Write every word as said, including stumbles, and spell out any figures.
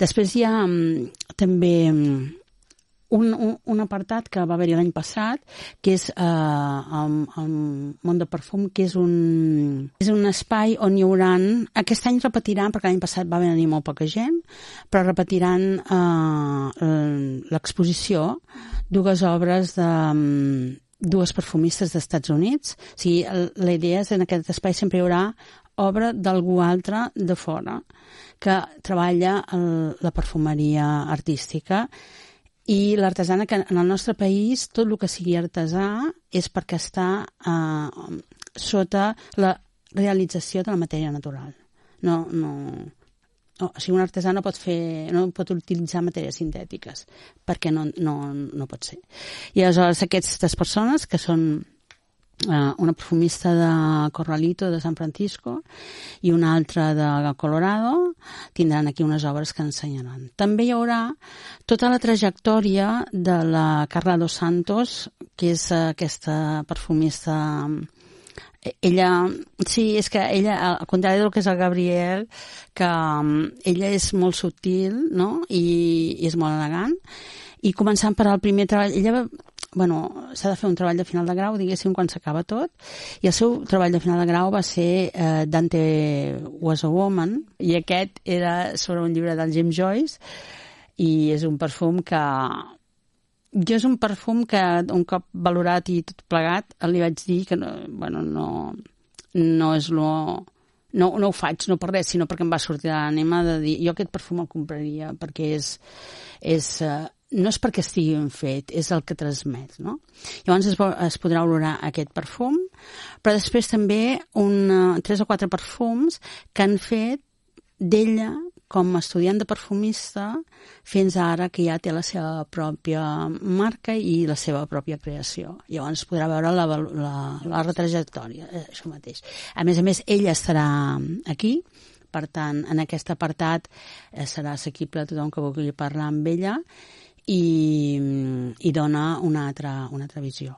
Després hi ha um, també um, un, un, un apartat que va haver-hi l'any passat, que és uh, el, el món de perfum, que és un, és un espai on hi haurà... Aquest any repetiran, perquè l'any passat va venir molt poca gent, però repetiran uh, l'exposició, dues obres de... Um, dues perfumistes d'Estats Units. O sigui, la idea és que en aquest espai sempre hi haurà obra d'algú altre de fora que treballa el, la perfumeria artística i l'artesana, que en el nostre país tot el que sigui artesà és perquè està eh, sota la realització de la matèria natural. No, no, no, o sigui, un artesà no pot fer, no pot utilitzar matèries sintètiques perquè no, no, no pot ser. I aleshores aquestes persones, que són Uh, una perfumista de Corralito, de San Francisco, i una altra de Colorado, tindran aquí unes obres que ensenyaran. També hi haurà tota la trajectòria de la Carla Dos Santos, que és uh, aquesta perfumista... Ella, sí, és que ella, al contrari del que és el Gabriel, que um, ella és molt subtil, no?, i, i és molt elegant, i començant per al primer treball, ella va... Bueno, s'ha de fer un treball de final de grau, diguéssim, quan s'acaba tot, i el seu treball de final de grau va ser eh, Dante Was a Woman, i aquest era sobre un llibre del James Joyce, i és un perfum que... Jo és un perfum que, un cop valorat i tot plegat, li vaig dir que no, bueno, no, no és lo... No, no ho faig, no per res, sinó perquè em va sortir l'ànima de dir jo aquest perfum el compraria, perquè és... és uh, no és perquè estigui ben fet, és el que transmet, no? Llavors es, es podrà olorar aquest perfum, però després també un, tres o quatre perfums que han fet d'ella com a estudiant de perfumista fins ara que ja té la seva pròpia marca i la seva pròpia creació. Llavors podrà veure la, la, la retrajectòria, això mateix. A més a més, ella estarà aquí, per tant, en aquest apartat eh, serà assequible a tothom que vulgui parlar amb ella, i, i dona una altra, una altra visió.